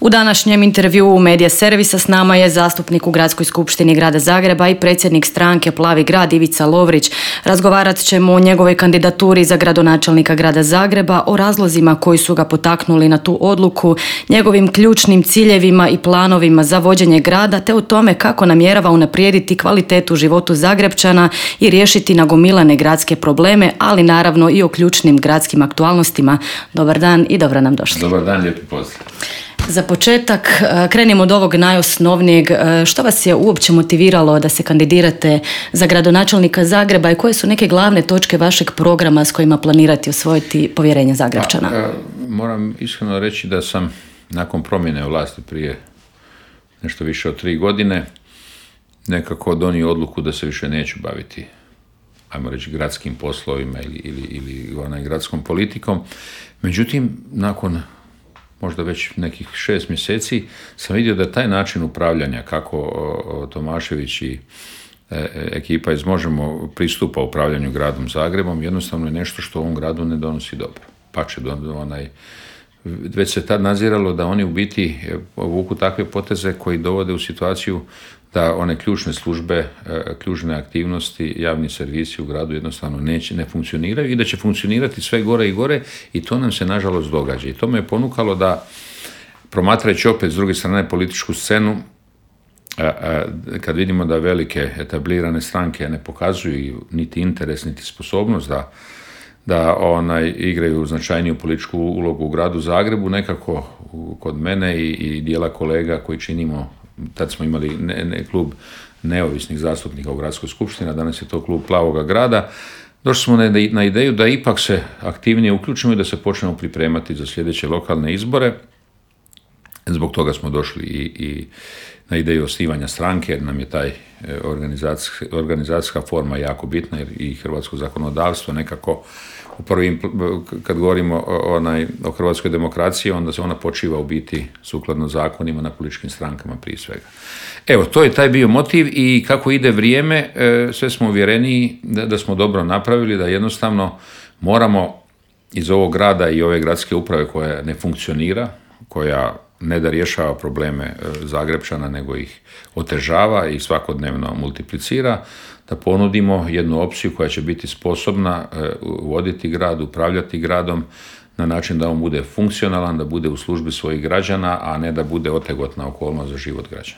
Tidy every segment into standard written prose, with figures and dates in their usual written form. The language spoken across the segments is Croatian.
U današnjem intervjuu Medija servisa s nama je zastupnik u Gradskoj skupštini Grada Zagreba i predsjednik stranke Plavi grad Ivica Lovrić. Razgovarat ćemo o njegovoj kandidaturi za gradonačelnika Grada Zagreba, o razlozima koji su ga potaknuli na tu odluku, njegovim ključnim ciljevima i planovima za vođenje grada, te o tome kako namjerava unaprijediti kvalitetu životu Zagrepčana i riješiti nagomilane gradske probleme, ali naravno i o ključnim gradskim aktualnostima. Dobar dan i dobro nam došli. Dobar dan, lijepi pozdrav. Za početak krenimo od ovog najosnovnijeg. Što vas je uopće motiviralo da se kandidirate za gradonačelnika Zagreba i koje su neke glavne točke vašeg programa s kojima planirate osvojiti povjerenje Zagrepčana? Moram iskreno reći da sam nakon promjene vlasti prije nešto više od 3 godine nekako donio odluku da se više neću baviti, ajmo reći, gradskim poslovima ili gradskom politikom. Međutim, nakon možda već nekih 6 mjeseci sam vidio da taj način upravljanja, kako Tomašević i ekipa iz Možemo pristupa upravljanju gradom Zagrebom, jednostavno je nešto što ovom gradu ne donosi dobro. Pače, već se tad nadziralo da oni u biti vuku takve poteze koji dovode u situaciju da one ključne službe, ključne aktivnosti, javni servisi u gradu jednostavno ne funkcioniraju i da će funkcionirati sve gore i gore, i to nam se nažalost događa. I to me je ponukalo da, promatrajući opet s druge strane političku scenu, kad vidimo da velike etablirane stranke ne pokazuju niti interes niti sposobnost da igraju značajniju političku ulogu u gradu Zagrebu, nekako kod mene i dijela kolega koji činimo, tad smo imali klub neovisnih zastupnika u Gradskoj skupštini, a danas je to klub Plavoga grada, došli smo na ideju da ipak se aktivnije uključimo i da se počnemo pripremati za sljedeće lokalne izbore. Zbog toga smo došli i na ideju osnivanja stranke, jer nam je taj organizacijska forma jako bitna, jer i hrvatsko zakonodavstvo nekako u prvim, kad govorimo o hrvatskoj demokraciji, onda se ona počiva u biti sukladno zakonima na političkim strankama prije svega. Evo, to je taj bio motiv, i kako ide vrijeme, sve smo uvjereniji da smo dobro napravili, da jednostavno moramo iz ovog grada i ove gradske uprave koja ne funkcionira, koja ne da rješava probleme Zagrepčana, nego ih otežava i svakodnevno multiplicira, da ponudimo jednu opciju koja će biti sposobna voditi grad, upravljati gradom na način da on bude funkcionalan, da bude u službi svojih građana, a ne da bude otegotna okolnost za život građana.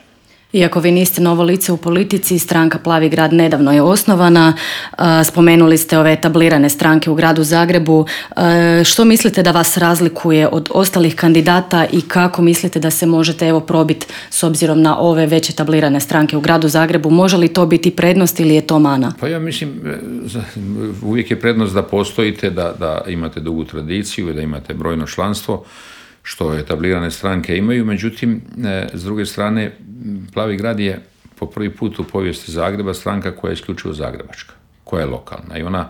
Iako vi niste novo lice u politici, stranka Plavi grad nedavno je osnovana. Spomenuli ste ove etablirane stranke u gradu Zagrebu. Što mislite da vas razlikuje od ostalih kandidata i kako mislite da se možete probiti s obzirom na ove već etablirane stranke u gradu Zagrebu? Može li to biti prednost ili je to mana? Pa ja mislim, uvijek je prednost da postojite, da imate dugu tradiciju i da imate brojno članstvo, što etablirane stranke imaju. Međutim, s druge strane, Plavi grad je po prvi put u povijesti Zagreba stranka koja je isključivo zagrebačka, koja je lokalna, i ona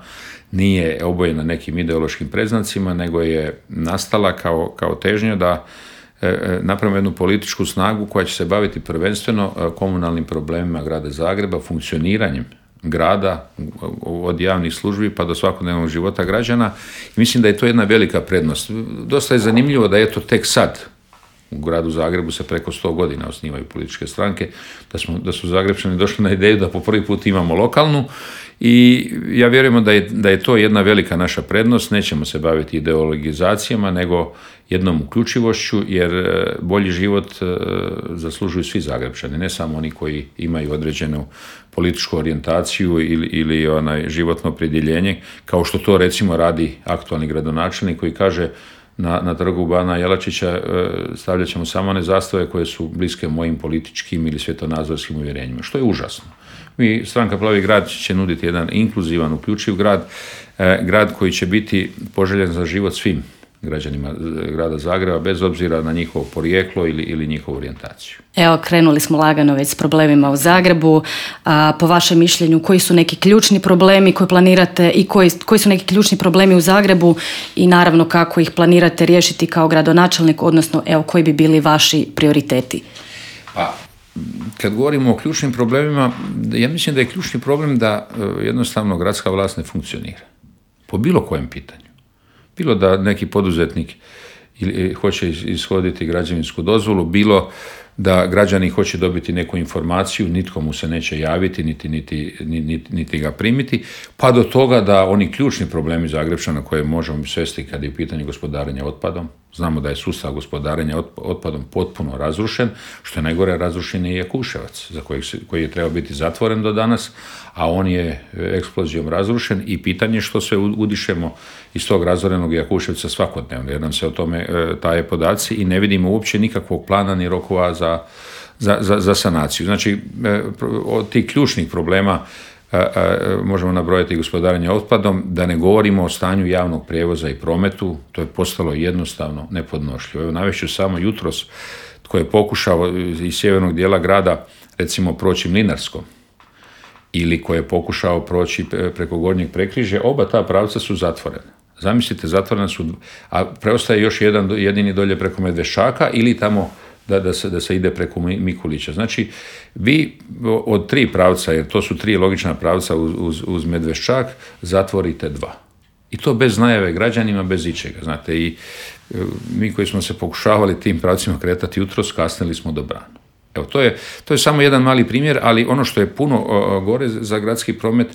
nije obojena nekim ideološkim predznacima, nego je nastala kao težnja da napravimo jednu političku snagu koja će se baviti prvenstveno komunalnim problemima grada Zagreba, funkcioniranjem grada, od javnih službi pa do svakodnevnog života građana. I mislim da je to jedna velika prednost. Dosta je zanimljivo da je to tek sad u gradu Zagrebu se preko 100 godina osnivaju političke stranke, da su Zagrepčani došli na ideju da po prvi put imamo lokalnu, i ja vjerujemo da je to jedna velika naša prednost. Nećemo se baviti ideologizacijama, nego jednom uključivošću, jer bolji život zaslužuju svi Zagrepčani, ne samo oni koji imaju određenu političku orijentaciju ili životno opredjeljenje, kao što to recimo radi aktualni gradonačelnik koji kaže na trgu Bana Jelačića stavljat ćemo samo one zastave koje su bliske mojim političkim ili svjetonazorskim uvjerenjima, što je užasno. Stranka Plavi grad će nuditi jedan inkluzivan, uključiv grad koji će biti poželjen za život svim građanima grada Zagreba, bez obzira na njihovo porijeklo ili njihovu orijentaciju. Evo, krenuli smo lagano već s problemima u Zagrebu. Po vašem mišljenju, koji su neki ključni problemi koje planirate i koji su neki ključni problemi u Zagrebu, i naravno kako ih planirate riješiti kao gradonačelnik, odnosno koji bi bili vaši prioriteti? Pa, kad govorimo o ključnim problemima, ja mislim da je ključni problem da jednostavno gradska vlast ne funkcionira. Po bilo kojem pitanju. Bilo da neki poduzetnik ili hoće ishoditi građevinsku dozvolu, bilo da građani hoće dobiti neku informaciju, nitko mu se neće javiti, niti ga primiti, pa do toga da oni ključni problemi Zagrepčana koje možemo svesti kad je u pitanju gospodarenja otpadom, znamo da je sustav gospodarenja otpadom potpuno razrušen, što je najgore, razrušen je i Jakuševac, koji je trebao biti zatvoren do danas, a on je eksplozijom razrušen i pitanje što sve udišemo iz tog razorenog Jakuševca svakodnevno, jer nam se o tome taje podaci i ne vidimo uopće nikakvog plana ni rokova za sanaciju. Znači, od tih ključnih problema možemo nabrojati gospodarenje otpadom, da ne govorimo o stanju javnog prijevoza i prometu, to je postalo jednostavno nepodnošljivo. Evo, navešću samo jutros tko je pokušao iz sjevernog dijela grada recimo proći Mlinarskom ili ko je pokušao proći preko Gornjeg Prekrižja, oba ta pravca su zatvorena. Zamislite, zatvorena su, a preostaje još jedini dolje preko Medveščaka ili tamo da se ide preko Mikulića. Znači, vi od 3 pravca, jer to su 3 logična pravca uz Medveščak, zatvorite 2. I to bez najave građanima, bez ičega. Znate, i mi koji smo se pokušavali tim pravcima kretati jutros, kasnili smo do Branu. Evo, to je samo jedan mali primjer, ali ono što je puno gore za gradski promet,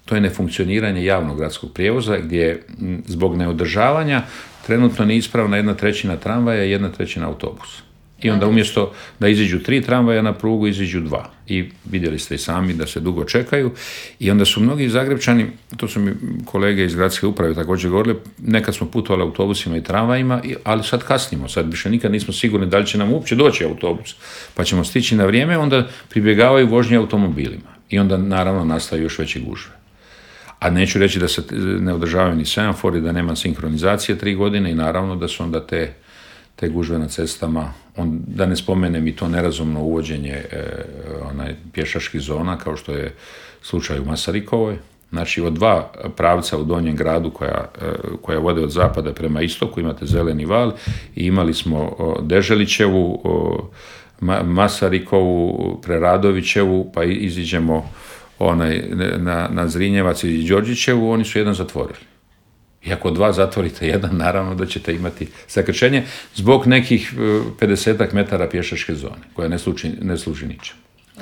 to je nefunkcioniranje javnog gradskog prijevoza, gdje zbog neodržavanja trenutno neispravna 1/3 tramvaja i 1/3 autobusa. I onda umjesto da iziđu 3 tramvaja na prugu, iziđu 2. I vidjeli ste i sami da se dugo čekaju. I onda su mnogi Zagrepčani, to su mi kolege iz gradske uprave također govorili, nekad smo putovali autobusima i tramvajima, ali sad kasnimo. Sad više nikad nismo sigurni da li će nam uopće doći autobus. Pa ćemo stići na vrijeme, onda pribjegavaju vožnje automobilima. I onda naravno nastaju još veće gužve. A neću reći da se ne održavaju ni semafori, da nema sinkronizacije 3 godine i naravno da su onda te gužve na cestama, da ne spomenem i to nerazumno uvođenje pješačkih zona, kao što je slučaj u Masarikovoj. Znači, od 2 pravca u Donjem gradu koja vode od zapada prema istoku, imate Zeleni val i imali smo Deželićevu, Masarikovu, Preradovićevu, pa iziđemo na Zrinjevac i Đorđićevu, oni su jedan zatvorili. I ako 2 zatvorite jedan, naravno da ćete imati zakrčenje zbog nekih 50 metara pješačke zone, koja ne služi ničem.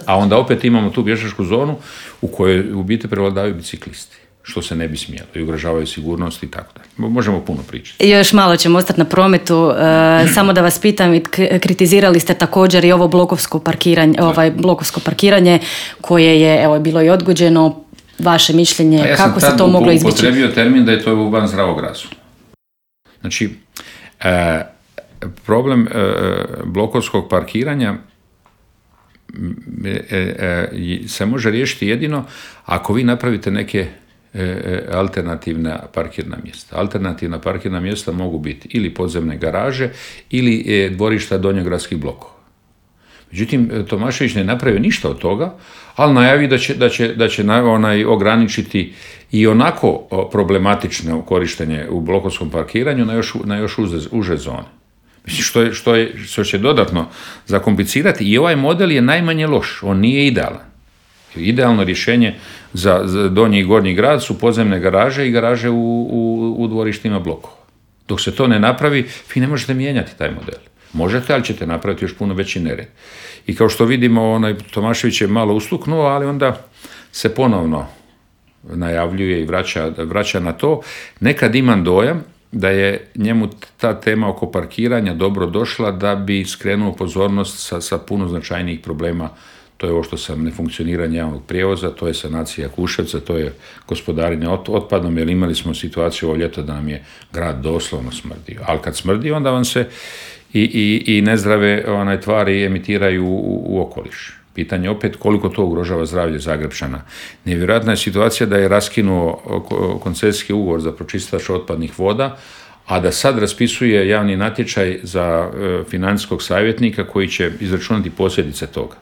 A onda opet imamo tu pješačku zonu u kojoj u biti prevladavaju biciklisti, što se ne bi smjelo i ugrožavaju sigurnost i tako dalje. Možemo puno pričati. Još malo ćemo ostati na prometu. Samo da vas pitam, kritizirali ste također i ovo blokovsko parkiranje koje je bilo i odgođeno. Vaše mišljenje, kako se to moglo izbjeći? Ja sam tad upotrebio termin da je to van zdravog razuma. Znači, problem blokovskog parkiranja se može riješiti jedino ako vi napravite neke alternativna parkirna mjesta. Alternativna parkirna mjesta mogu biti ili podzemne garaže ili dvorišta donjogradskih blokova. Međutim, Tomašević ne napravio ništa od toga, ali najavi da će ograničiti i onako problematično korištenje u blokovskom parkiranju na još uže zone. Mislim, što će dodatno zakomplicirati, i ovaj model je najmanje loš, on nije idealan. Idealno rješenje za donji i gornji grad su podzemne garaže i garaže u dvorištima blokova. Dok se to ne napravi, vi ne možete mijenjati taj model. Možete, ali ćete napraviti još puno veći nered. I kao što vidimo, Tomašević je malo ustuknuo, ali onda se ponovno najavljuje i vraća na to. Nekad imam dojam da je njemu ta tema oko parkiranja dobro došla da bi skrenuo pozornost sa puno značajnijih problema. To je ovo što sam nefunkcioniranje javnog prijevoza, to je sanacija Jakuševca, to je gospodarenje otpadom, jer imali smo situaciju ovo ljeto da nam je grad doslovno smrdio. Ali kad smrdi, onda vam se i nezdrave tvari emitiraju u okoliš. Pitanje opet koliko to ugrožava zdravlje Zagrepčana. Nevjerojatna je situacija da je raskinuo koncesijski ugovor za pročistač otpadnih voda, a da sad raspisuje javni natječaj za financijskog savjetnika koji će izračunati posljedice toga.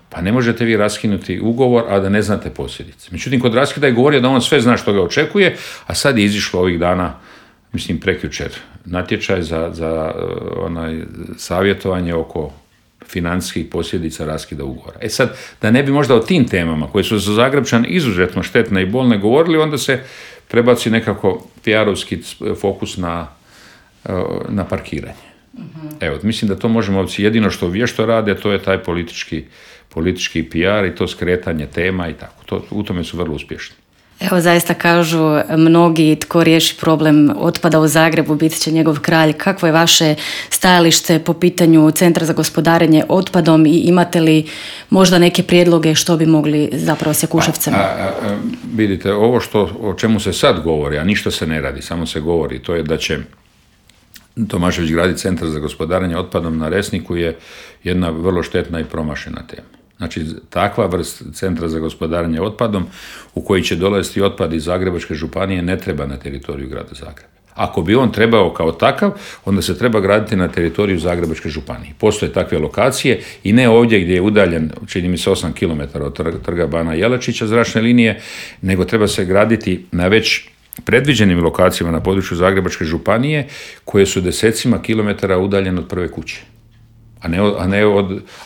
Pa ne možete vi raskinuti ugovor, a da ne znate posljedice. Međutim, kod raskida je govorio da on sve zna što ga očekuje, a sad je izišlo ovih dana, mislim prekjučer, natječaj za savjetovanje oko financijskih posljedica raskida ugovora. Sad, da ne bi možda o tim temama koje su za Zagrepčan izuzetno štetne i bolne govorili, onda se prebaci nekako PR-ovski fokus na parkiranje. Evo, mislim da to možemo, jedino što vješto rade, to je taj politički PR i to skretanje tema i tako. U tome su vrlo uspješni. Evo, zaista kažu mnogi, tko riješi problem otpada u Zagrebu bit će njegov kralj. Kakvo je vaše stajalište po pitanju Centra za gospodarenje otpadom i imate li možda neke prijedloge što bi mogli zapravo s Jakuševcem? Vidite, ovo o čemu se sad govori, a ništa se ne radi, samo se govori, to je da će Tomašević graditi Centar za gospodarenje otpadom na Resniku je jedna vrlo štetna i promašena tema. Znači, takva vrst Centra za gospodarenje otpadom u koji će dolaziti otpad iz Zagrebačke županije ne treba na teritoriju grada Zagreba. Ako bi on trebao kao takav, onda se treba graditi na teritoriju Zagrebačke županije. Postoje takve lokacije i ne ovdje gdje je udaljen, čini mi se 8 km od trga Bana Jelačića zračne linije, nego treba se graditi na već predviđenim lokacijama na području Zagrebačke županije koje su desecima kilometara udaljene od prve kuće.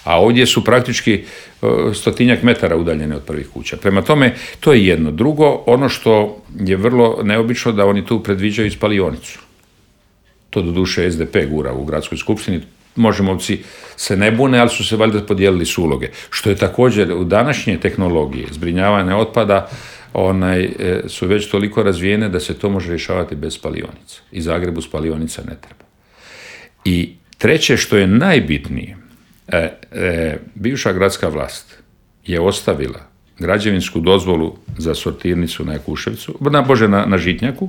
A ovdje su praktički 100-tinjak metara udaljene od prvih kuća. Prema tome, to je jedno. Drugo, ono što je vrlo neobično da oni tu predviđaju spalionicu. To doduše SDP gura u gradskoj skupštini. Možemovci se ne bune, ali su se valjda podijelili su uloge. Što je također u današnje tehnologije zbrinjavanja otpada su već toliko razvijene da se to može rješavati bez spalionica. I Zagrebu spalionica ne treba. I treće što je najbitnije, bivša gradska vlast je ostavila građevinsku dozvolu za sortirnicu na Jakuševcu, na Žitnjaku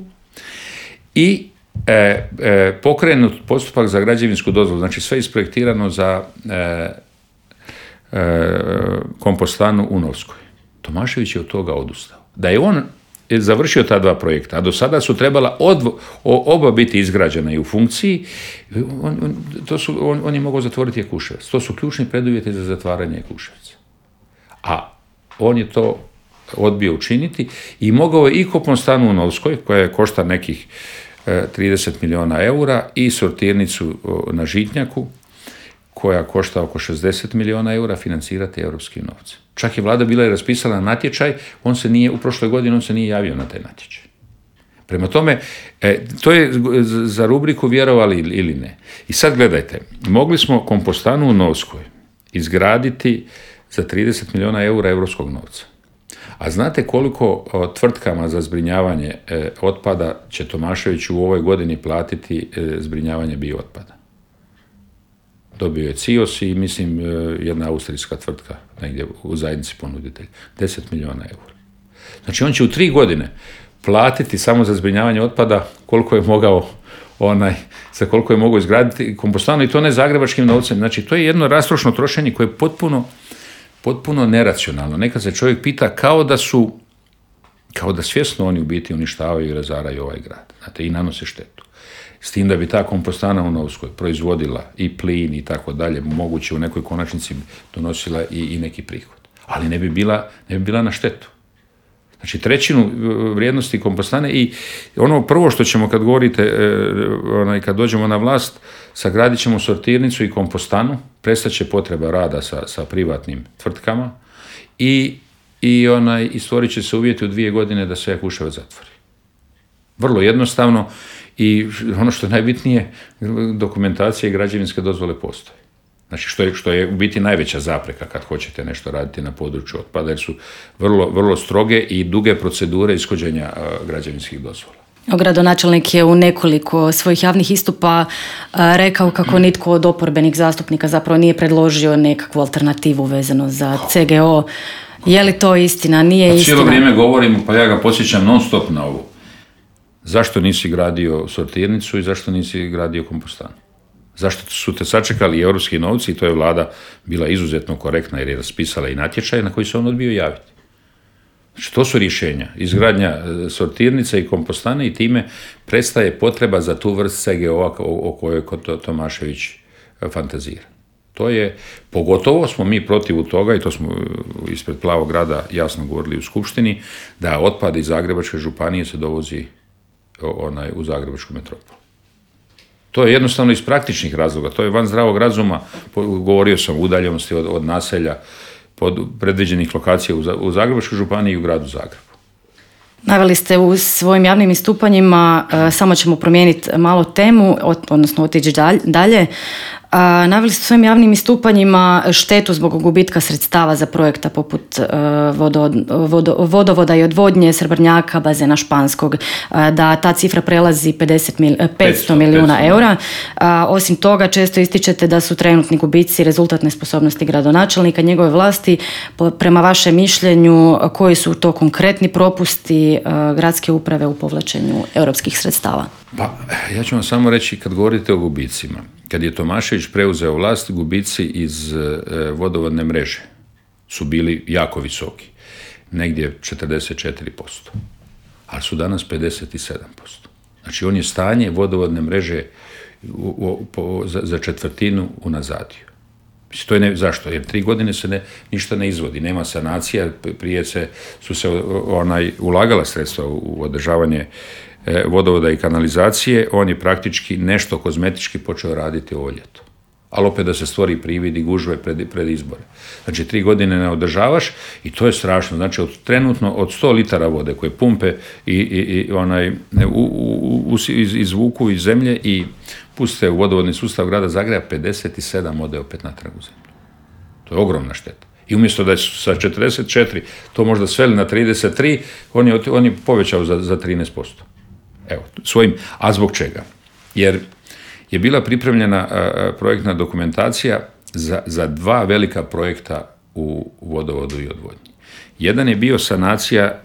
i pokrenut postupak za građevinsku dozvolu, znači sve isprojektirano za kompostanu u Novskoj. Tomašević je od toga odustao. Da je on završio ta dva projekta, a do sada su trebala oba biti izgrađena i u funkciji, on je mogao zatvoriti Jakuševac. To su ključni preduvjeti za zatvaranje Jakuševca. A on je to odbio učiniti i mogao je i kompostanu u Novskoj, koja košta nekih 30 milijuna eura, i sortirnicu na Žitnjaku, koja košta oko 60 milijuna eura, financirati europskim novcem. Čak je vlada bila i raspisala natječaj, u prošloj godini on se nije javio na taj natječaj. Prema tome, to je za rubriku vjerovali ili ne. I sad gledajte, mogli smo kompostanu u Novskoj izgraditi za 30 milijuna eura europskog novca. A znate koliko tvrtkama za zbrinjavanje otpada će Tomašević u ovoj godini platiti zbrinjavanje biootpada? Dobio je CIOS i mislim jedna austrijska tvrtka negdje u zajednici ponuditelj. 10 milijuna eura. Znači on će u 3 godine platiti samo za zbrinjavanje otpada koliko je mogao za koliko je mogao izgraditi kompostanu, i to ne zagrebačkim novcem. Znači to je jedno rastrošno trošenje koje je potpuno neracionalno. Nekad se čovjek pita kao da svjesno oni u biti uništavaju i razaraju ovaj grad. Znate, i nanose štetu. S tim da bi ta kompostana u Novskoj proizvodila i plin i tako dalje, moguće u nekoj konačnici donosila i neki prihod. Ali ne bi bila na štetu. Znači 1/3 vrijednosti kompostane, i ono prvo što ćemo kad govorite, kad dođemo na vlast, sagradit ćemo sortirnicu i kompostanu, prestaće potreba rada sa privatnim tvrtkama i stvorit će se uvjeti u 2 godine da se Jakuševac zatvori. Vrlo jednostavno, i ono što je najbitnije, dokumentacija i građevinske dozvole postoje. Znači što je u biti najveća zapreka kad hoćete nešto raditi na području otpada, jer su vrlo, vrlo stroge i duge procedure ishođenja građevinskih dozvola. Gradonačelnik je u nekoliko svojih javnih istupa rekao kako nitko od oporbenih zastupnika zapravo nije predložio nekakvu alternativu vezano za CGO. Je li to istina? Nije istina? Cijelo vrijeme govorimo, pa ja ga podsjećam non stop na ovo. Zašto nisi gradio sortirnicu i zašto nisi gradio kompostanu? Zašto su te sačekali europski novci, i to je vlada bila izuzetno korektna jer je raspisala i natječaj na koji se on odbio javiti. Znači to su rješenja. Izgradnja sortirnice i kompostane, i time prestaje potreba za tu vrst CGO-a o kojoj Tomašević fantazira. To je, pogotovo smo mi protiv toga, i to smo ispred Plavog grada jasno govorili u skupštini, da otpad iz Zagrebačke županije se dovozi u Zagrebačku metropolu. To je jednostavno iz praktičnih razloga, to je van zdravog razuma. Govorio sam o udaljenosti od naselja, pod predviđenih lokacija u Zagrebačkoj županiji i u gradu Zagrebu. Naveli ste u svojim javnim istupanjima, samo ćemo promijeniti malo temu, odnosno otići dalje. Naveli ste u svojim javnim istupanjima štetu zbog gubitka sredstava za projekta poput vodovoda i odvodnje, Srebrnjaka, bazena Španskog, da ta cifra prelazi 500 milijuna eura. Osim toga, često ističete da su trenutni gubici rezultat nesposobnosti gradonačelnika, njegove vlasti. Prema vašem mišljenju, koji su to konkretni propusti gradske uprave u povlačenju europskih sredstava? Pa, ja ću vam samo reći, kad govorite o gubicima, kad je Tomašević preuzeo vlast, gubici iz vodovodne mreže su bili jako visoki, negdje 44%, ali su danas 57%. Znači, on je stanje vodovodne mreže za četvrtinu unazadio. To je zašto? Jer 3 godine se ništa ne izvodi, nema sanacija, prije su se ulagala sredstva u održavanje vodovoda i kanalizacije, on je praktički nešto kozmetički počeo raditi ovo ljeto. Ali opet da se stvori privid i gužve pred izbore. Znači, 3 godine ne održavaš i to je strašno. Znači, trenutno od 100 litara vode koje pumpe izvuku iz zemlje i puste u vodovodni sustav grada Zagreba, 57 ode opet natrag u zemlju. To je ogromna šteta. I umjesto da su sa 44 to možda sveli na 33, on je povećao za 13%. Evo, a zbog čega? Jer je bila pripremljena projektna dokumentacija za 2 velika projekta u vodovodu i odvodnji. Jedan je bio sanacija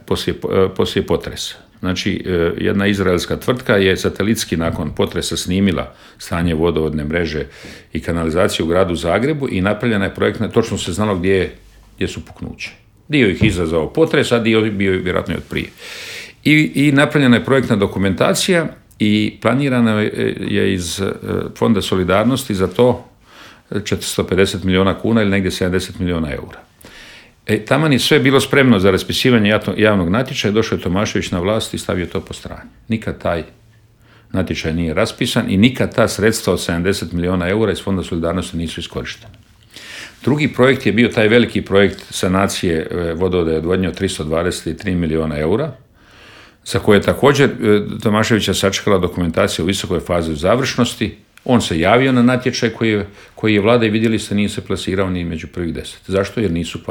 poslije potresa. Znači, jedna izraelska tvrtka je satelitski nakon potresa snimila stanje vodovodne mreže i kanalizacije u gradu Zagrebu i napravljena je projektna, točno se znalo gdje su puknuće. Dio ih izazvao potres, a dio bio vjerojatno i od prije. I napravljena je projektna dokumentacija i planirana je iz Fonda solidarnosti za to 450 milijuna kuna ili negdje 70 milijuna eura. Taman je sve bilo spremno za raspisivanje javnog natječaja, došao je Tomašević na vlast i stavio to po strani. Nikad taj natječaj nije raspisan i nikad ta sredstva od 70 milijuna eura iz Fonda solidarnosti nisu iskorištene. Drugi projekt je bio taj veliki projekt sanacije vodovoda i odvodnje od 323 milijuna eura, za koje je također Tomaševića sačekala dokumentacija u visokoj fazi završnosti. On se javio na natječaj koji je vlada i vidjeli ste nije se plasirao ni među prvih 10. Zašto? Jer nisu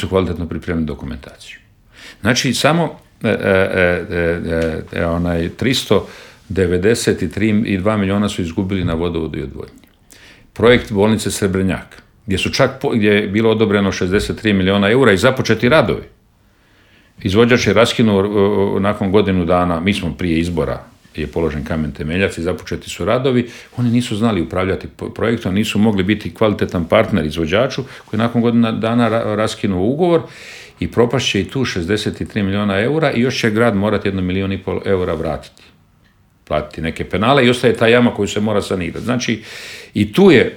kvalitetno pripremili dokumentaciju. Znači, samo 392 milijuna su izgubili na vodovodu i odvodnji. Projekt bolnice Srebrnjak, gdje je bilo odobreno 63 milijuna eura i započeti radovi. Izvođač je raskinuo nakon godinu dana, mi smo prije izbora, je položen kamen temeljac i započeti su radovi, oni nisu znali upravljati projektom, nisu mogli biti kvalitetan partner izvođaču koji nakon godina dana raskinuo ugovor i propašće i tu 63 milijuna eura i još će grad morati 1,5 milijuna eura vratiti. Platiti neke penale i ostaje ta jama koju se mora sanirati. Znači, i tu je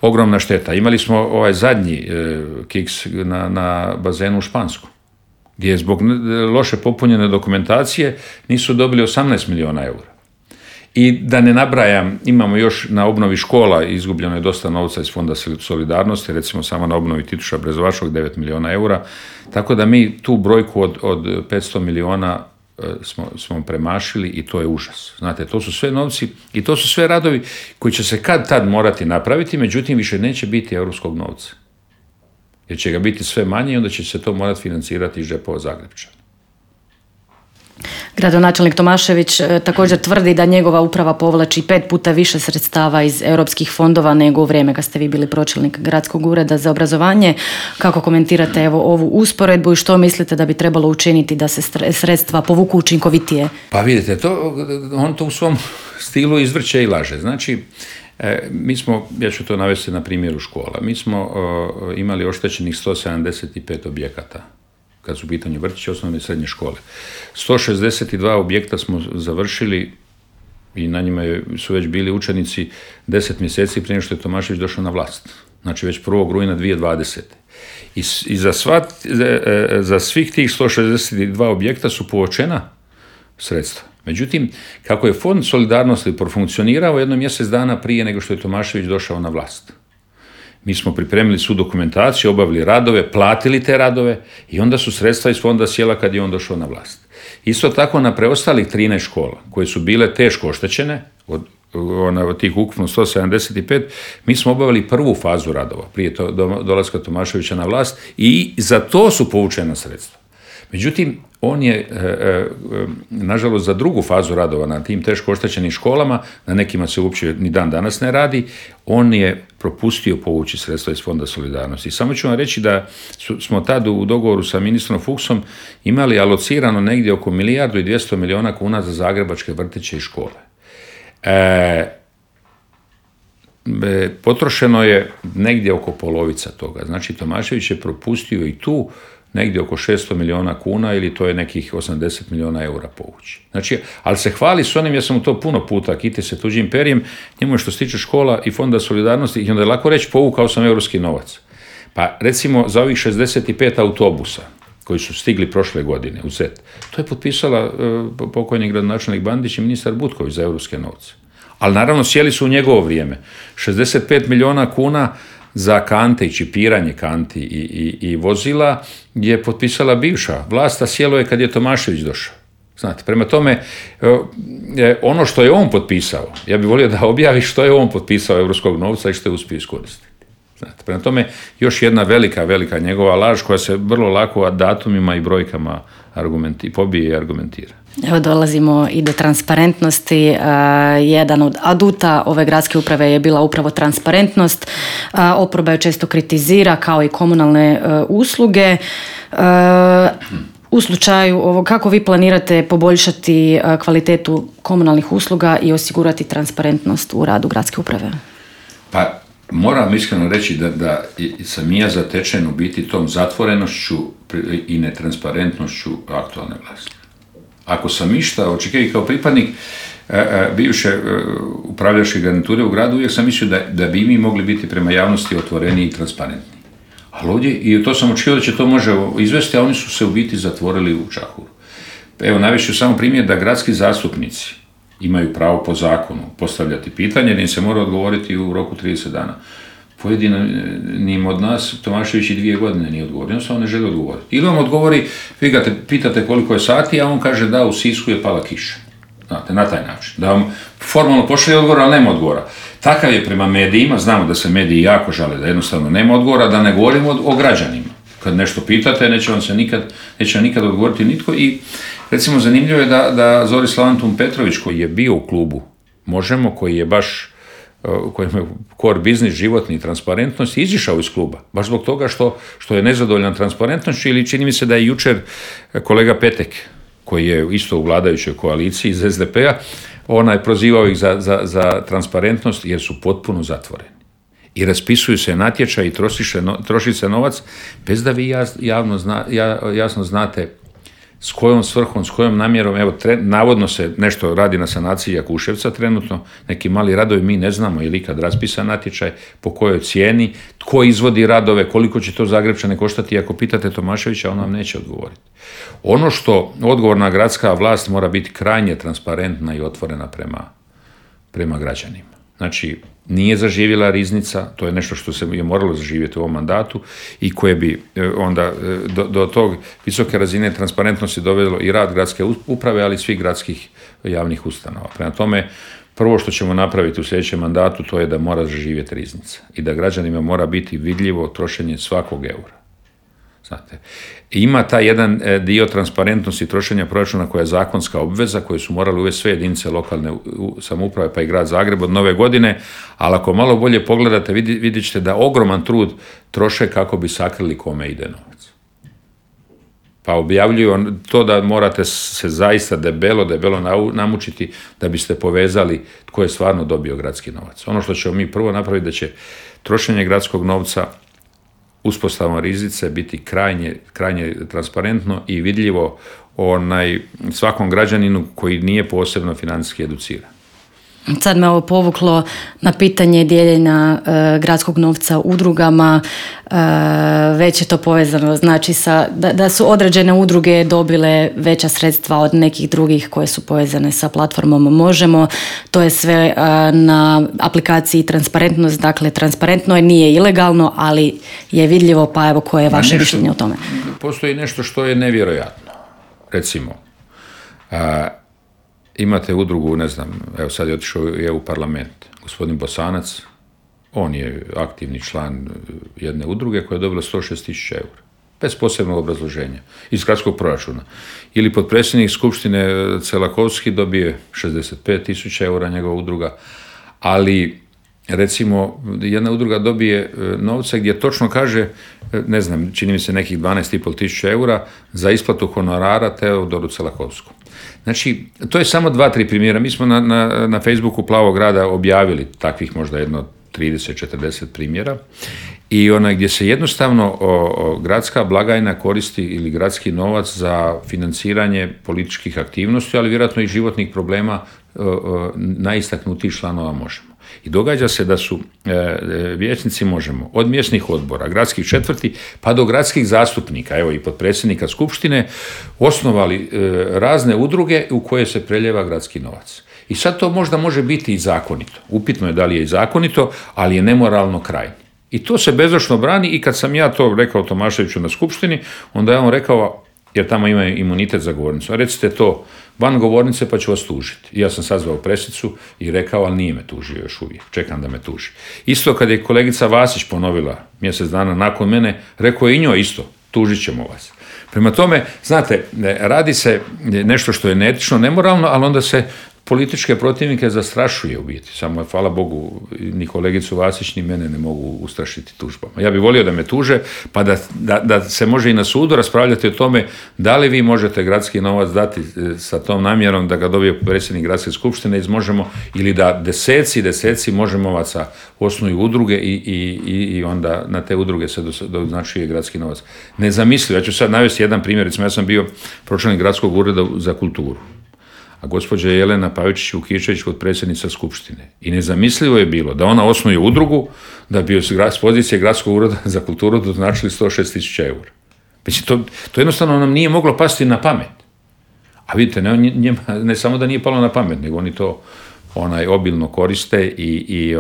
ogromna šteta. Imali smo ovaj zadnji kiks na bazenu u Španskom, gdje zbog loše popunjene dokumentacije nisu dobili 18 milijuna eura. I da ne nabrajam, imamo još na obnovi škola, izgubljeno je dosta novca iz Fonda solidarnosti, recimo samo na obnovi Tituša Brezovačkog 9 milijuna eura, tako da mi tu brojku od 500 milijuna smo premašili i to je užas. Znate, to su sve novci i to su sve radovi koji će se kad tad morati napraviti, međutim više neće biti europskog novca. Jer će ga biti sve manje i onda će se to morati financirati iz džepova Zagrepčana. Gradonačelnik Tomašević također tvrdi da njegova uprava povlači 5 puta više sredstava iz europskih fondova nego u vrijeme kad ste vi bili pročelnik Gradskog ureda za obrazovanje. Kako komentirate ovu usporedbu i što mislite da bi trebalo učiniti da se sredstva povuku učinkovitije? Pa vidite, on to u svom stilu izvrće i laže. Znači, ja ću to navesti na primjeru škola. Mi smo imali oštećenih 175 objekata kad su u pitanju vrtići, osnovne i srednje škole. 162 objekta smo završili i na njima su već bili učenici 10 mjeseci prije što je Tomašević došao na vlast. Znači već 1. rujna 2020. I za svih tih 162 objekta su povučena sredstva. Međutim, kako je Fond solidarnosti profunkcionirao jedno mjesec dana prije nego što je Tomašević došao na vlast. Mi smo pripremili svu dokumentaciju, obavili radove, platili te radove i onda su sredstva iz fonda sjela kad je on došao na vlast. Isto tako na preostalih 13 škola koje su bile teško oštećene, od tih ukupno 175, mi smo obavili prvu fazu radova prije dolaska Tomaševića na vlast i za to su povučena sredstva. Međutim, on je, nažalost, za drugu fazu radova na tim teško oštećenim školama, na nekima se uopće ni dan danas ne radi, on je propustio povući sredstva iz Fonda solidarnosti. Samo ću vam reći da smo tad u dogovoru sa ministrom Fuchsom imali alocirano negdje oko 1,2 milijarde kuna za zagrebačke vrtiće i škole. Potrošeno je negdje oko polovica toga. Znači, Tomašević je propustio i tu negdje oko 600 milijuna kuna ili to je nekih 80 milijuna eura povući. Znači, ali se hvali s onim, ja sam mu to puno puta, kiti se tuđim perijem, njemu je što se tiče škola i Fonda solidarnosti i onda je lako reći povukao sam europski novac. Pa recimo za ovih 65 autobusa koji su stigli prošle godine u Zet, to je potpisala pokojni gradonačelnik Bandić i ministar Butković za europske novce. Ali naravno sjeli su u njegovo vrijeme. 65 milijuna kuna za kante i čipiranje kanti i vozila je potpisala bivša vlast, a sjelo je kad je Tomašević došao. Znate, prema tome, ono što je on potpisao, ja bih volio da objavi što je on potpisao europskog novca i što je uspio iskoristiti. Znate, prema tome, još jedna velika njegova laž koja se vrlo lako datumima i brojkama pobije i argumentira. Evo dolazimo i do transparentnosti. Jedan od aduta ove gradske uprave je bila upravo transparentnost. Oporba je često kritizira kao i komunalne usluge. U slučaju ovo, kako vi planirate poboljšati kvalitetu komunalnih usluga i osigurati transparentnost u radu gradske uprave? Pa moram iskreno reći da sam ja zatečen u biti tom zatvorenošću i netransparentnošću aktualne vlasti. Ako sam išta očekivao kao pripadnik bivše upravljačke garniture u gradu, uvijek sam mislio da bi mi mogli biti prema javnosti otvoreni i transparentni. Ali ovdje, i to sam očekivao da će to može izvesti, a oni su se u biti zatvorili u čahuru. Evo, navešću samo primjer da gradski zastupnici imaju pravo po zakonu postavljati pitanje, da im se mora odgovoriti u roku 30 dana. Pojedinim od nas Tomašević i 2 godine nije odgovorio, on samo ne želi odgovoriti. Ili on odgovori, vi ga pitate koliko je sati, a on kaže da u Sisku je pala kiša. Znate, na taj način. Da vam formalno pošalje odgovor, ali nema odgovora. Takav je prema medijima, znamo da se mediji jako žale da jednostavno nema odgovora, da ne govorimo o građanima. Kad nešto pitate, neće vam nikad odgovoriti nitko. I recimo zanimljivo je da Zorislav Antun Petrović, koji je bio u klubu Možemo, koji je baš kojem je core biznis, životni i transparentnost, izišao iz kluba. Baš zbog toga što je nezadovoljan transparentnošću, ili čini mi se da je jučer kolega Petek, koji je isto u vladajućoj koaliciji iz SDP-a, prozivao ih za transparentnost jer su potpuno zatvoreni. I raspisuju se natječaj i troši se novac bez da vi jasno znate s kojom svrhom, s kojom namjerom. Evo, navodno se nešto radi na sanaciji Jakuševca trenutno, neki mali radovi, mi ne znamo je li ikad raspisan natječaj, po kojoj cijeni, tko izvodi radove, koliko će to Zagrepčane koštati. Ako pitate Tomaševića, on vam neće odgovoriti. Ono što odgovorna gradska vlast mora biti krajnje transparentna i otvorena prema građanima. Znači, nije zaživjela riznica, to je nešto što se je moralo zaživjeti u ovom mandatu i koje bi onda do tog visoke razine transparentnosti dovelo i rad gradske uprave, ali i svih gradskih javnih ustanova. Prema tome, prvo što ćemo napraviti u sljedećem mandatu, to je da mora zaživjeti riznica i da građanima mora biti vidljivo trošenje svakog eura. Znate, ima taj jedan dio transparentnosti trošenja proračuna koja je zakonska obveza, koju su morali uvesti sve jedinice lokalne samouprave pa i grad Zagreb od nove godine, ali ako malo bolje pogledate, vidjet ćete da ogroman trud troše kako bi sakrili kome ide novac. Pa objavljuju to da morate se zaista debelo namučiti da biste povezali tko je stvarno dobio gradski novac. Ono što ćemo mi prvo napraviti da će trošenje gradskog novca uspostavom riznice biti krajnje transparentno i vidljivo svakom građaninu koji nije posebno financijski educiran. Sad me ovo povuklo na pitanje dijeljenja gradskog novca udrugama. Već je to povezano, znači da su određene udruge dobile veća sredstva od nekih drugih koje su povezane sa platformom Možemo. To je sve na aplikaciji Transparentnost, dakle transparentno je, nije ilegalno, ali je vidljivo, pa evo koje je vaše mišljenje o tome? Postoji nešto što je nevjerojatno. Recimo, imate udrugu, ne znam, evo sad je otišao u EU parlament, gospodin Bosanac, on je aktivni član jedne udruge koja je dobila 106.000 eura, bez posebnog obrazloženja, iz gradskog proračuna. Ili potpredsjednik skupštine Celakovski dobije 65.000 eura, njegova udruga, ali recimo jedna udruga dobije novce gdje točno kaže, ne znam, čini mi se nekih 12.500 eura za isplatu honorara Teodoru Celakovskom. Znači, to je samo 2-3 primjera. Mi smo na Facebooku Plavog grada objavili takvih možda jedno 30-40 primjera i gdje se jednostavno gradska blagajna koristi ili gradski novac za financiranje političkih aktivnosti, ali vjerojatno i životnih problema najistaknutijih članova Možemo. I događa se da su vijećnici Možemo od mjesnih odbora, gradskih četvrti, pa do gradskih zastupnika, evo i potpredsjednika skupštine, osnovali razne udruge u koje se preljeva gradski novac. I sad to možda može biti i zakonito. Upitno je da li je i zakonito, ali je nemoralno krajnje. I to se bezočno brani i kad sam ja to rekao Tomaševiću na skupštini, onda je on rekao, jer tamo ima imunitet za govornicu, a recite to van govornice pa ću vas tužiti. I ja sam sazvao presicu i rekao, ali nije me tužio još uvijek, čekam da me tuži. Isto kad je kolegica Vasić ponovila mjesec dana nakon mene, rekao je i njoj isto, tužit ćemo vas. Prema tome, znate, radi se nešto što je neetično, nemoralno, ali onda se političke protivnike zastrašuje u biti. Samo, hvala Bogu, ni kolegicu Vasić ni mene ne mogu ustrašiti tužbama. Ja bih volio da me tuže, pa da se može i na sudu raspravljati o tome da li vi možete gradski novac dati sa tom namjerom da ga dobije predsjednik gradske skupštine iz Možemo, ili da deseci Možemovaca osnuju udruge i onda na te udruge se doznačuje gradski novac. Nezamislivo. Ja ću sad navesti jedan primjer. Recimo, ja sam bio pročelnik gradskog ureda za kulturu, a gospođa Jelena Pavičić-Vukičević potpredsjednica skupštine. I nezamislivo je bilo da ona osnuje udrugu, da bi s pozicije gradskog ureda za kulturu doznačili 106.000 eura. Mislim, to jednostavno nam nije moglo pasti na pamet. A vidite, ne samo da nije palo na pamet, nego oni to obilno koriste i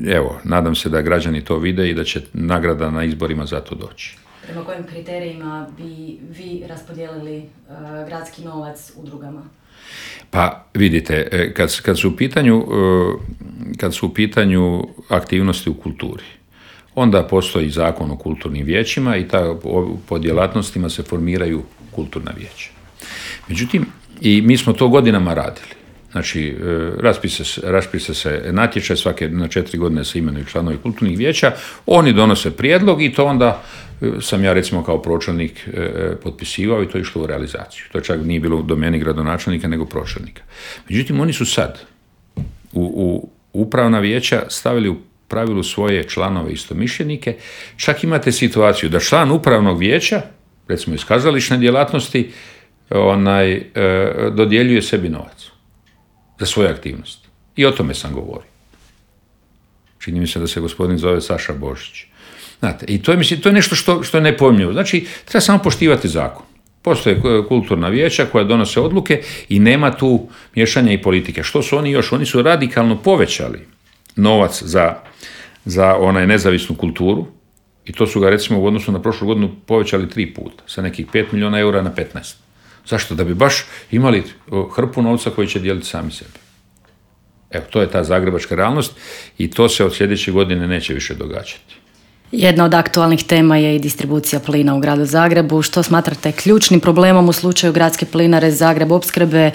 evo, nadam se da građani to vide i da će nagrada na izborima za to doći. Prema kojim kriterijima bi vi raspodijelili gradski novac udrugama? Pa vidite, kad su u pitanju aktivnosti u kulturi, onda postoji zakon o kulturnim vijećima i po djelatnostima se formiraju kulturna vijeća. Međutim, i mi smo to godinama radili. Znači, raspiše se natječaj, svake na 4 godine se imenuju članovi kulturnih vijeća, oni donose prijedlog i to onda sam ja recimo kao pročelnik potpisivao i to je išlo u realizaciju. To čak nije bilo u domeni gradonačelnika nego pročelnika. Međutim, oni su sad u upravna vijeća stavili u pravilu svoje članove istomišljenike. Čak imate situaciju da član upravnog vijeća, recimo iz kazališne djelatnosti, dodjeljuje sebi novac za svoje aktivnosti. I o tome sam govorio. Čini mi se da se gospodin zove Saša Božić. Znate, i to je nešto što je nepojmljivo. Znači, treba samo poštivati zakon. Postoje kulturna vijeća koja donose odluke i nema tu miješanja i politike. Što su oni još? Oni su radikalno povećali novac za nezavisnu kulturu i to su ga recimo u odnosu na prošlu godinu povećali 3 puta, sa nekih 5 milijuna eura na 15. Zašto? Da bi baš imali hrpu novca koji će dijeliti sami sebi. Evo, to je ta zagrebačka realnost i to se od sljedeće godine neće više događati. Jedna od aktualnih tema je i distribucija plina u gradu Zagrebu. Što smatrate ključnim problemom u slučaju gradske plinare Zagreb opskrbe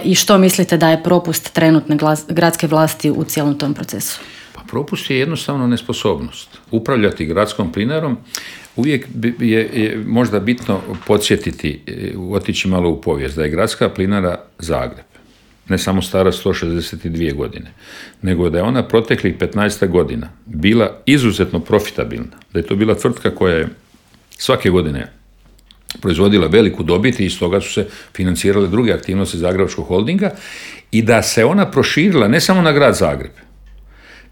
i što mislite da je propust trenutne gradske vlasti u cijelom tom procesu? Pa propust je jednostavno nesposobnost. Upravljati gradskom plinarom uvijek je možda bitno podsjetiti, otići malo u povijest, da je gradska plinara Zagreb ne samo stara 162 godine, nego da je ona proteklih 15 godina bila izuzetno profitabilna, da je to bila tvrtka koja je svake godine proizvodila veliku dobit i iz toga su se financirale druge aktivnosti Zagrebačkog holdinga i da se ona proširila ne samo na grad Zagreb,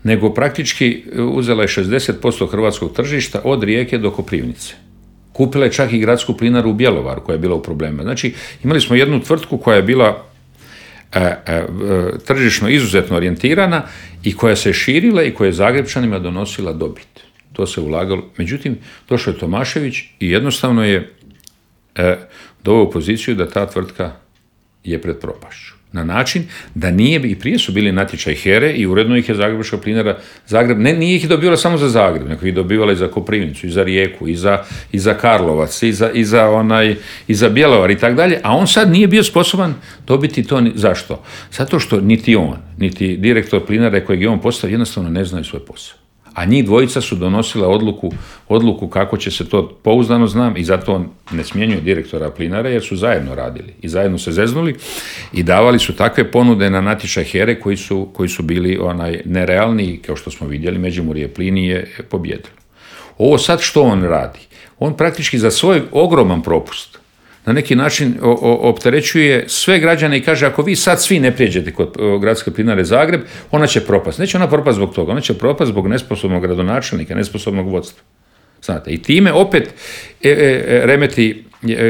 nego praktički uzela je 60% hrvatskog tržišta od Rijeke do Koprivnice. Kupila je čak i gradsku plinaru u Bjelovaru koja je bila u problemima. Znači, imali smo jednu tvrtku koja je bila tržišno izuzetno orijentirana i koja se širila i koja je Zagrepčanima donosila dobit. To se ulagalo. Međutim, došao je Tomašević i jednostavno je doveo u poziciju da ta tvrtka je pred propašću. Na način da nije, i prije su bili natječaj HERE i uredno ih je Zagrebačka plinara Zagreb, nije ih dobivala samo za Zagreb, nego ih dobivala i za Koprivnicu, i za Rijeku, i za Karlovac, i za Bjelovar i tako dalje, a on sad nije bio sposoban dobiti to. Zašto? Zato što niti on, niti direktor plinare kojeg je on postavio, jednostavno ne znaju svoj posao. A njih dvojica su donosila odluku kako će se to, pouzdano znam, i zato on ne smjenjuje direktora plinare, jer su zajedno radili i zajedno se zeznuli i davali su takve ponude na natječaj HERE koji su bili nerealni, kao što smo vidjeli, Međimurje plin je pobjedilo. Ovo sad što on radi? On praktički za svoj ogroman propust na neki način opterećuje sve građane i kaže, ako vi sad svi ne prijeđete kod gradske plinare Zagreb, ona će propast. Neće ona propast zbog toga, ona će propast zbog nesposobnog gradonačelnika, nesposobnog vodstva. Znate, i time opet remeti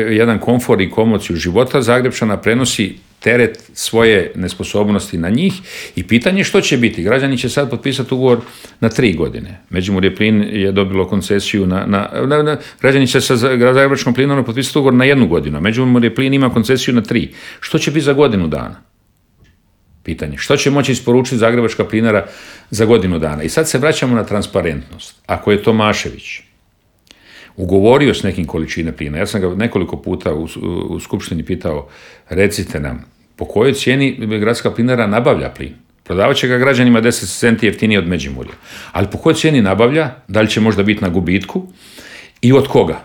jedan komfor i komociju života Zagrepčana, prenosi teret svoje nesposobnosti na njih i pitanje što će biti. Građani će sad potpisati ugovor na 3 godine. Međimurje plin je dobilo koncesiju građani će sa Zagrebačkom plinom potpisati ugovor na 1 godinu. Međimurje plin ima koncesiju na 3. Što će biti za godinu dana? Pitanje. Što će moći isporučiti Zagrebačka plinara za godinu dana? I sad se vraćamo na transparentnost. Ako je Tomašević ugovorio s nekim količine plina, ja sam ga nekoliko puta u skupštini pitao, recite nam, po kojoj cijeni gradska plinara nabavlja plin? Prodavat će ga građanima 10 centi jeftinije od Međimurja. Ali po kojoj cijeni nabavlja? Da li će možda biti na gubitku? I od koga?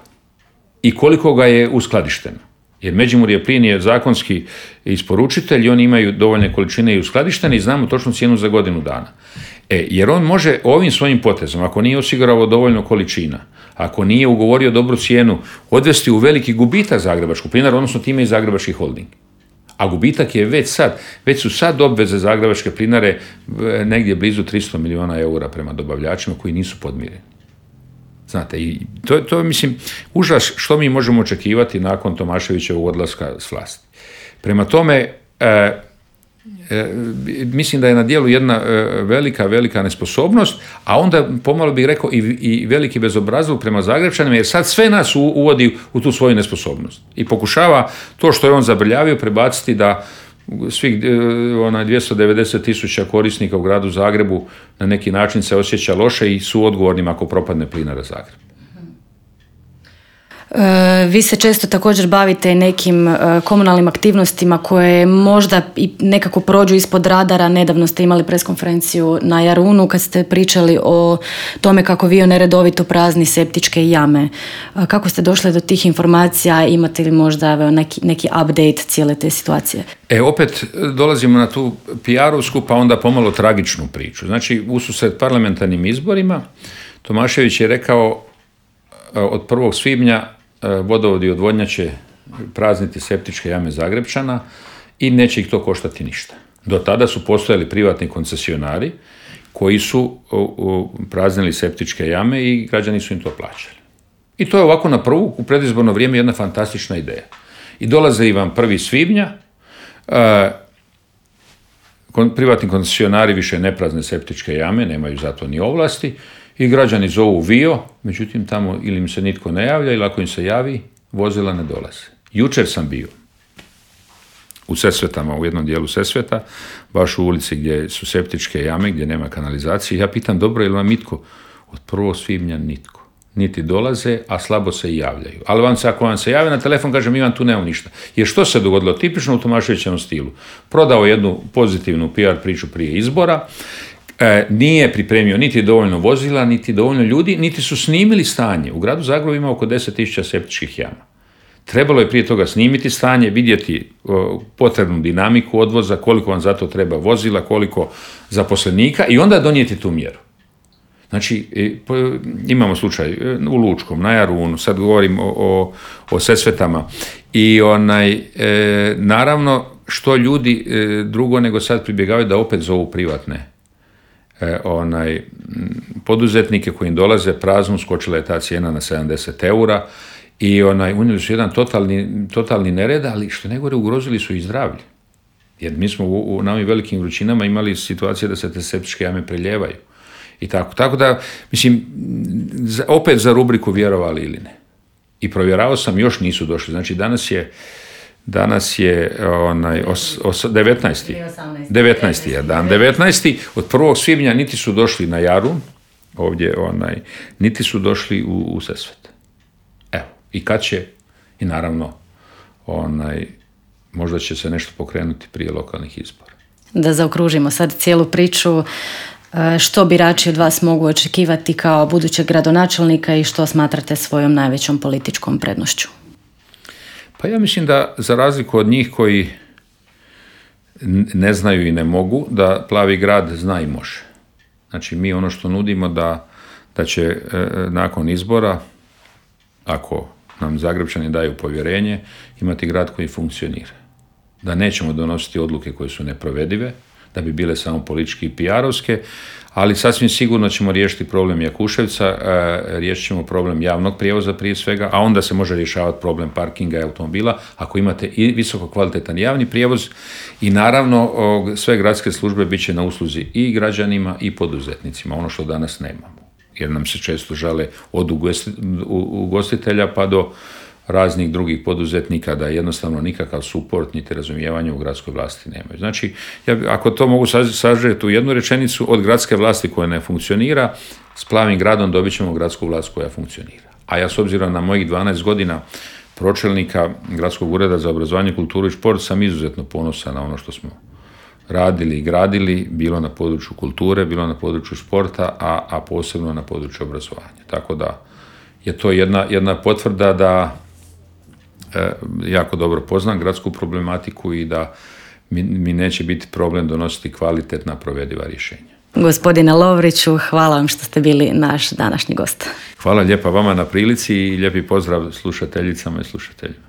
I koliko ga je uskladišteno? Jer Međimurje plin je zakonski isporučitelj i oni imaju dovoljne količine i uskladištene i znamo točnu cijenu za godinu dana. Jer on može ovim svojim potezom, ako nije osigurao dovoljno količina, ako nije ugovorio dobru cijenu, odvesti u veliki gubitak Zagrebačku plinaru, odnosno time i Zagrebački holding. A gubitak je već su sad obveze Zagrebačke plinare negdje blizu 300 milijuna eura prema dobavljačima koji nisu podmireni. Znate, i to je, mislim, užas što mi možemo očekivati nakon Tomaševićevog odlaska s vlasti. Prema tome, mislim da je na djelu jedna velika nesposobnost, a onda pomalo bih rekao i veliki bezobrazluk prema Zagrepčanima, jer sad sve nas uvodi u tu svoju nesposobnost i pokušava to što je on zabrljavio prebaciti da svih 290.000 korisnika u gradu Zagrebu na neki način se osjeća loše i su odgovornim ako propadne plinara Zagreb. Vi se često također bavite nekim komunalnim aktivnostima koje možda i nekako prođu ispod radara. Nedavno ste imali preskonferenciju na Jarunu kad ste pričali o tome kako vi neredovito prazni septičke jame. Kako ste došli do tih informacija? Imate li možda neki update cijele te situacije? Opet dolazimo na tu PR-ovsku pa onda pomalo tragičnu priču. Znači, ususret parlamentarnim izborima Tomašević je rekao od 1. svibnja vodovod i odvodnja će prazniti septičke jame Zagrepčana i neće ih to koštati ništa. Do tada su postojali privatni koncesionari koji su praznili septičke jame i građani su im to plaćali. I to je ovako na prvu, u predizborno vrijeme, jedna fantastična ideja. I dolaze i vam 1. svibnja, privatni koncesionari više ne prazne septičke jame, nemaju zato ni ovlasti, i građani zovu VIO, međutim tamo ili im se nitko ne javlja, ili ako im se javi, vozila ne dolaze. Jučer sam bio u Sesvetama, u jednom dijelu Sesveta, baš u ulici gdje su septičke jame, gdje nema kanalizacije. Ja pitam, dobro, je li vam nitko? Od 1. svibnja nitko. Niti dolaze, a slabo se i javljaju. Ali ako vam se javi na telefon, kaže, mi vam tu nemamo ništa. Jer što se dogodilo? Tipično u Tomaševićevom stilu. Prodao jednu pozitivnu PR priču prije izbora, nije pripremio niti dovoljno vozila, niti dovoljno ljudi, niti su snimili stanje. U gradu Zagrebu ima oko 10.000 septičkih jama. Trebalo je prije toga snimiti stanje, vidjeti potrebnu dinamiku odvoza, koliko vam za to treba vozila, koliko zaposlenika i onda donijeti tu mjeru. Znači, imamo slučaj u Lučkom, na Jarunu, sad govorim o Sesvetama i naravno što ljudi drugo nego sad pribjegavaju da opet zovu privatne poduzetnike koji im dolaze praznu, skočila je ta cijena na 70 eura i unijeli su jedan totalni nered, ali što najgore ugrozili su i zdravlje. Jer mi smo u ovim velikim vrućinama imali situacije da se te septičke jame preljevaju. I tako da, mislim, opet za rubriku vjerovali ili ne. I provjeravao sam, još nisu došli. Znači, danas je 19. je dan. 19. Od 1. svibnja niti su došli na Jarun, ovdje, niti su došli u Sesvet. Evo, i kad će, i naravno, možda će se nešto pokrenuti prije lokalnih izbora. Da zaokružimo sad cijelu priču, što birači od vas mogu očekivati kao budućeg gradonačelnika i što smatrate svojom najvećom političkom prednošću? Pa ja mislim da za razliku od njih koji ne znaju i ne mogu, da Plavi grad zna i može. Znači mi ono što nudimo da će nakon izbora, ako nam Zagrepčani daju povjerenje, imati grad koji funkcionira. Da nećemo donositi odluke koje su neprovedive, da bi bile samo politički i PR-ovske, ali sasvim sigurno ćemo riješiti problem Jakuševca, riješit ćemo problem javnog prijevoza prije svega, a onda se može rješavati problem parkinga i automobila ako imate i visoko kvalitetan javni prijevoz i naravno sve gradske službe bit će na usluzi i građanima i poduzetnicima, ono što danas nemamo. Jer nam se često žale od ugostitelja pa do raznih drugih poduzetnika da jednostavno nikakav suport niti razumijevanje u gradskoj vlasti nemaju. Znači, ako to mogu sažeti u jednu rečenicu, od gradske vlasti koja ne funkcionira, s Plavim gradom dobit ćemo gradsku vlast koja funkcionira. A ja s obzirom na mojih 12 godina pročelnika Gradskog ureda za obrazovanje, kulturu i šport sam izuzetno ponosan na ono što smo radili i gradili, bilo na području kulture, bilo na području športa, a posebno na području obrazovanja. Tako da je to jedna potvrda da jako dobro poznam gradsku problematiku i da mi neće biti problem donositi kvalitetna provediva rješenja. Gospodine Lovriću, hvala vam što ste bili naš današnji gost. Hvala lijepa vama na prilici i lijepi pozdrav slušateljicama i slušateljima.